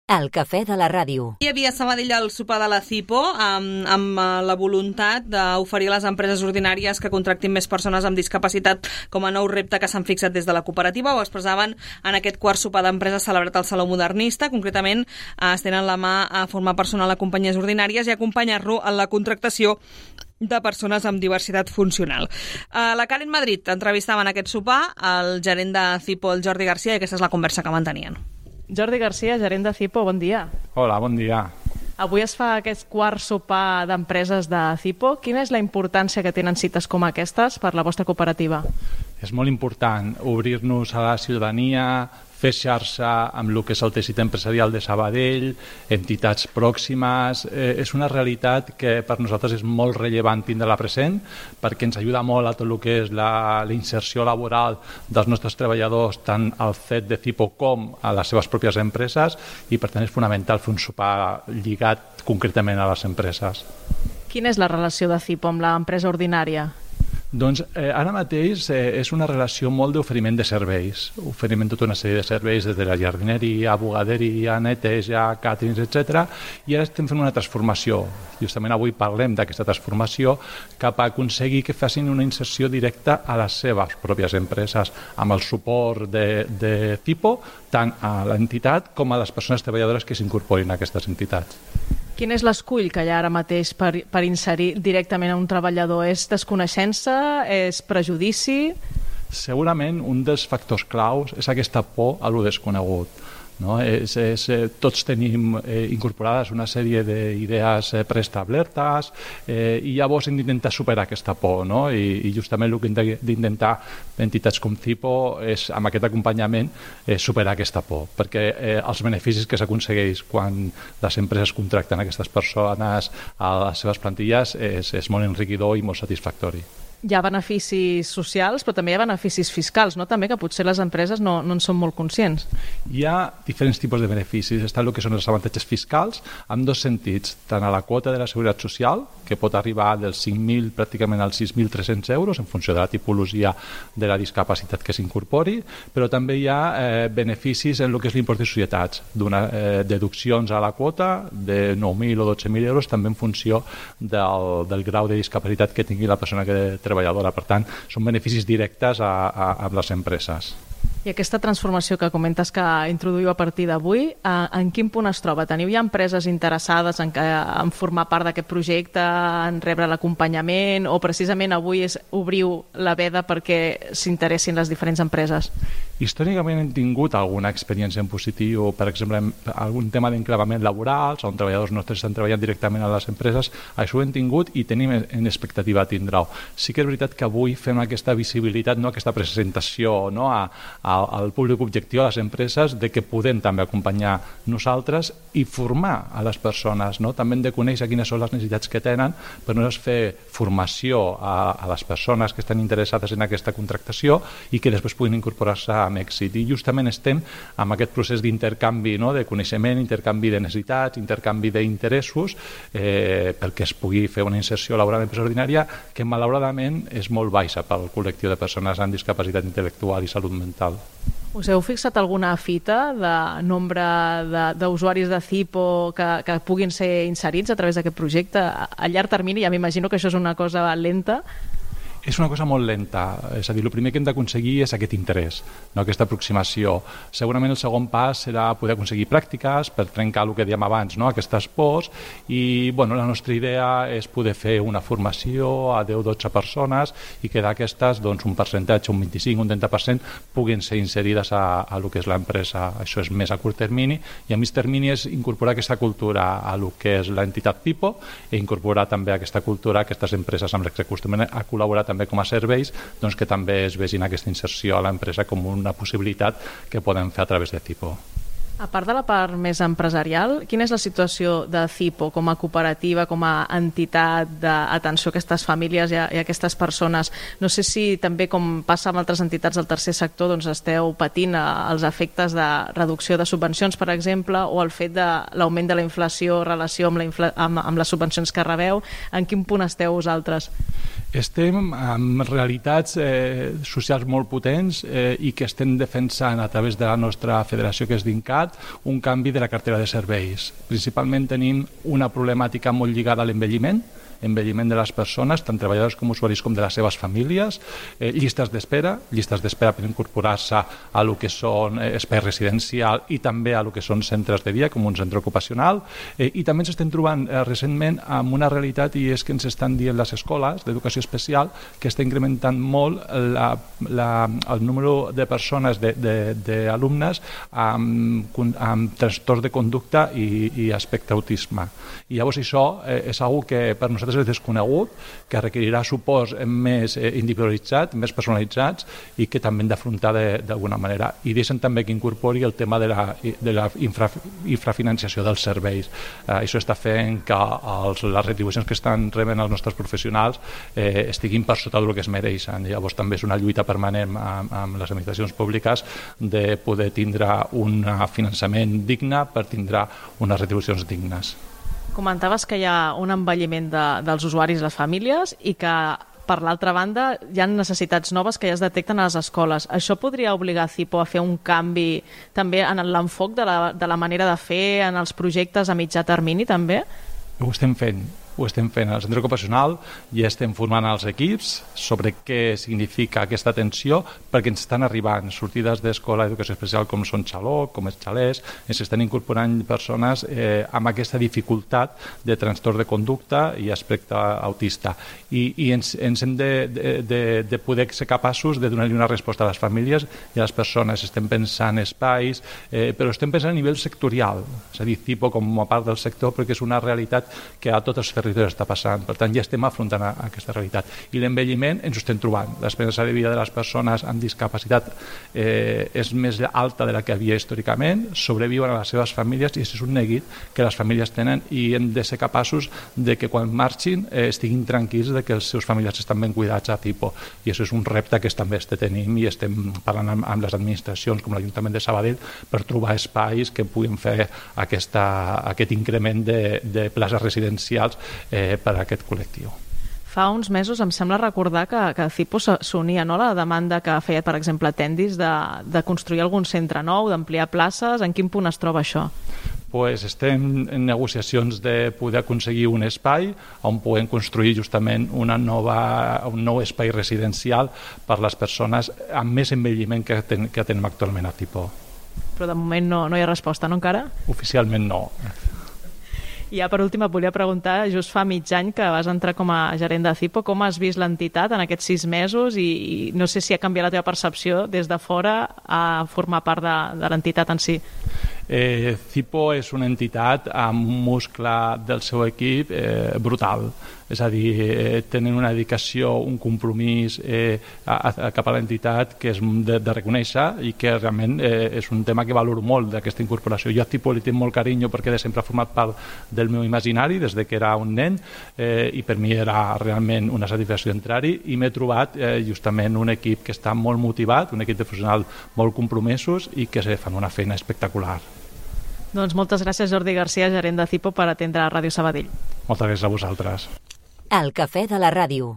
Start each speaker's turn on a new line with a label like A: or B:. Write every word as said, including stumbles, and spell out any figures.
A: El cafè de la ràdio.
B: Hi havia a Sabadell el sopar de la CIPO amb, amb la voluntat d'oferir a les empreses ordinàries que contractin més persones amb discapacitat com a nou repte que s'han fixat des de la cooperativa. Ho expressaven en aquest quart sopar d'empreses celebrat al Saló Modernista. Concretament, es tenen la mà a formar personal a companyies ordinàries i acompanyar-lo en la contractació de persones amb diversitat funcional. A la Karen Madrid entrevistava en aquest sopar el gerent de CIPO, el Jordi Garcia, i aquesta és la conversa que mantenien.
C: Jordi Garcia, gerent de CIPO, bon dia.
D: Hola, bon dia.
C: Avui es fa aquest quart sopar d'empreses de CIPO. Quina és la importància que tenen cites com aquestes per la vostra cooperativa?
D: És molt important obrir-nos a la ciutadania, fer xarxa amb el que és el teixit empresarial de Sabadell, entitats pròximes. Eh, és una realitat que per nosaltres és molt rellevant tindre-la present perquè ens ajuda molt a tot el que és la, la inserció laboral dels nostres treballadors, tant al C E T de CIPO com a les seves pròpies empreses, i per tant és fonamental fer un sopar lligat concretament a les empreses.
C: Quina és la relació de CIPO amb l'empresa ordinària?
D: Doncs eh, ara mateix eh, és una relació molt d'oferiment de serveis. Oferim tota una sèrie de serveis des de la jardineria, bugaderia, neteja, càterings, etcètera. I ara estem fent una transformació. Justament avui parlem d'aquesta transformació cap a aconseguir que facin una inserció directa a les seves pròpies empreses amb el suport de, de CIPO, tant a l'entitat com a les persones treballadores que s'incorporin a aquestes entitats.
C: Quin és l'escull que hi ha ara mateix per, per inserir directament a un treballador? És desconeixença? És prejudici?
D: Segurament un dels factors claus és aquesta por a lo desconegut. No? És, és, tots tenim eh, incorporades una sèrie d'idees eh, preestablertes eh, i llavors hem d'intentar superar aquesta por, no? I, i justament el que hem d'intentar entitats com CIPO és amb aquest acompanyament eh, superar aquesta por, perquè eh, els beneficis que s'aconsegueix quan les empreses contracten aquestes persones a les seves plantilles és, és molt enriquidor i molt satisfactori.
C: Hi ha beneficis socials, però també hi ha beneficis fiscals, no? També que potser les empreses no, no en són molt conscients.
D: Hi ha diferents tipus de beneficis. Està el que són els avantatges fiscals en dos sentits, tant a la quota de la Seguretat Social, que pot arribar dels cinc mil pràcticament als sis mil tres-cents euros en funció de la tipologia de la discapacitat que s'incorpori, però també hi ha eh, beneficis en el que és l'impost de societats, d'una eh, deduccions a la quota de nou mil o dotze mil euros, també en funció del, del grau de discapacitat que tingui la persona que treballadora. Per tant, són beneficis directes a, a, a les empreses.
C: I aquesta transformació que comentes que introduïu a partir d'avui, en quin punt es troba? Teniu ja empreses interessades en, que, en formar part d'aquest projecte, en rebre l'acompanyament, o precisament avui és, obriu la veda perquè s'interessin les diferents empreses?
D: Històricament hem tingut alguna experiència en positiu, per exemple, algun tema d'enclavament laborals, on treballadors nostres estan treballant directament a les empreses. Això ho hem tingut i tenim en expectativa tindre-ho. Sí que és veritat que avui fem aquesta visibilitat, no, aquesta presentació, no, a, a, al públic objectiu, a les empreses, de que podem també acompanyar nosaltres i formar a les persones. No? També hem de conèixer quines són les necessitats que tenen per nosaltres fer formació a, a les persones que estan interessades en aquesta contractació i que després puguin incorporar-se amb èxit. I justament estem amb aquest procés d'intercanvi, no? De coneixement, intercanvi de necessitats, intercanvi d'interessos, eh, perquè es pugui fer una inserció laboral en empresa ordinària que malauradament és molt baixa pel col·lectiu de persones amb discapacitat intel·lectual i salut mental.
C: Us heu fixat alguna fita de nombre d'usuaris de, de CIPO que, que puguin ser inserits a través d'aquest projecte? A llarg termini, ja m'imagino que això és una cosa lenta.
D: És una cosa molt lenta, és a dir, el primer que hem d'aconseguir és aquest interès, no? Aquesta aproximació. Segurament el segon pas serà poder aconseguir pràctiques per trencar el que dèiem abans, no? Aquestes pors, i bueno, la nostra idea és poder fer una formació a deu o dotze persones i que d'aquestes doncs, un percentatge, un vint-i-cinc, un trenta per cent puguin ser inserides a, a lo que és l'empresa. Això és més a curt termini, i a mig termini és incorporar aquesta cultura a lo que és l'entitat CIPO i incorporar també aquesta cultura a aquestes empreses amb les que acostumen a col·laborar també com a serveis, doncs que també es vegin aquesta inserció a l'empresa com una possibilitat que podem fer a través de CIPO.
C: A part de la part més empresarial, quina és la situació de CIPO com a cooperativa, com a entitat d'atenció a aquestes famílies i a, i a aquestes persones? No sé si també, com passa amb altres entitats del tercer sector, doncs esteu patint els efectes de reducció de subvencions, per exemple, o el fet de l'augment de la inflació en relació amb, la infla, amb, amb les subvencions que rebeu. En quin punt esteu vosaltres?
D: Estem amb realitats eh, socials molt potents eh, i que estem defensant a través de la nostra federació, que és DINCAT, realitat un canvi de la cartera de serveis. Principalment tenim una problemàtica molt lligada a l'envelliment, envelliment de les persones, tant treballadors com usuaris com de les seves famílies, eh, llistes d'espera, llistes d'espera per incorporar-se a lo que són eh, espai residencial i també a lo que són centres de dia, com un centre ocupacional, eh, i també ens estem trobant eh, recentment amb una realitat, i és que ens estan dient les escoles d'educació especial que està incrementant molt la, la, el número de persones, d'alumnes amb, amb trastorns de conducta i, i aspecte autisme. I llavors això eh, és una que per nosaltres és desconegut, que requerirà suports més individualitzats, més personalitzats i que també hem d'afrontar d'alguna manera. I deixen també que incorpori el tema de la, de la infra, infrafinanciació dels serveis. Eh, això està fent que els, les retribucions que estan rebent els nostres professionals eh, estiguin per sota del que es mereixen. Llavors també és una lluita permanent amb, amb les administracions públiques de poder tindre un finançament digne per tindre unes retribucions dignes.
C: Comentaves que hi ha un envelliment de, dels usuaris i les famílies i que, per l'altra banda, hi ha necessitats noves que ja es detecten a les escoles. Això podria obligar Cipo a fer un canvi també en l'enfoc de, la, de la manera de fer, en els projectes a mitjà termini també?
D: Ho estem fent. Ho estem fent al centre ocupacional i estem formant els equips sobre què significa aquesta atenció, perquè ens estan arribant sortides d'escola d'educació especial com són Xaló, com és Xalès, ens estan incorporant persones eh, amb aquesta dificultat de trastorn de conducta i aspecte autista. I, i ens, ens hem de, de, de poder ser capaços de donar-li una resposta a les famílies i a les persones. Estem pensant espais, eh, però estem pensant a nivell sectorial, és a dir, Cipo com a part del sector, perquè és una realitat que a tots els territoris està passant. Per tant, ja estem afrontant a, a aquesta realitat. I l'envelliment ens ho estem trobant. L'esperança de vida de les persones amb discapacitat eh, és més alta de la que havia històricament, sobreviuen a les seves famílies i això és un neguit que les famílies tenen i hem de ser capaços de que quan marxin eh, estiguin tranquils de que els seus familiars estan ben cuidats a Cipo. I això és un repte que també estem tenim i estem parlant amb, amb les administracions com l'Ajuntament de Sabadell per trobar espais que puguin fer aquesta, aquest increment de, de places residencials Eh, per a aquest col·lectiu.
C: Fa uns mesos em sembla recordar que, que Cipo s'unia, no?, a la demanda que feia, per exemple, Tendis de, de construir algun centre nou, d'ampliar places. En quin punt es troba això?
D: Pues estem en negociacions de poder aconseguir un espai on puguem construir justament una nova, un nou espai residencial per les persones amb més envelliment que, ten, que tenim actualment a Cipo.
C: Però de moment no, no hi ha resposta, no, encara?
D: Oficialment no.
C: I ja per últim et volia preguntar, just fa mig any que vas entrar com a gerent de Cipo, com has vist l'entitat en aquests sis mesos i, i no sé si ha canviat la teva percepció des de fora a formar part de, de l'entitat en si?
D: Eh, Cipo és una entitat amb un muscle del seu equip eh, brutal, és a dir, eh, tenen una dedicació, un compromís eh, a, a, cap a l'entitat que és de, de reconèixer i que realment eh, és un tema que valoro molt d'aquesta incorporació. Jo a Cipo li tinc molt carinyo perquè de sempre ha format part del meu imaginari des de que era un nen eh, i per mi era realment una satisfacció entrar-hi i m'he trobat eh, justament un equip que està molt motivat, un equip de professionals molt compromesos i que fan una feina espectacular.
C: Doncs moltes gràcies, Jordi Garcia, gerent de Cipo, per atendre a Ràdio Sabadell.
D: Moltes gràcies a vosaltres.
A: El cafè de la ràdio.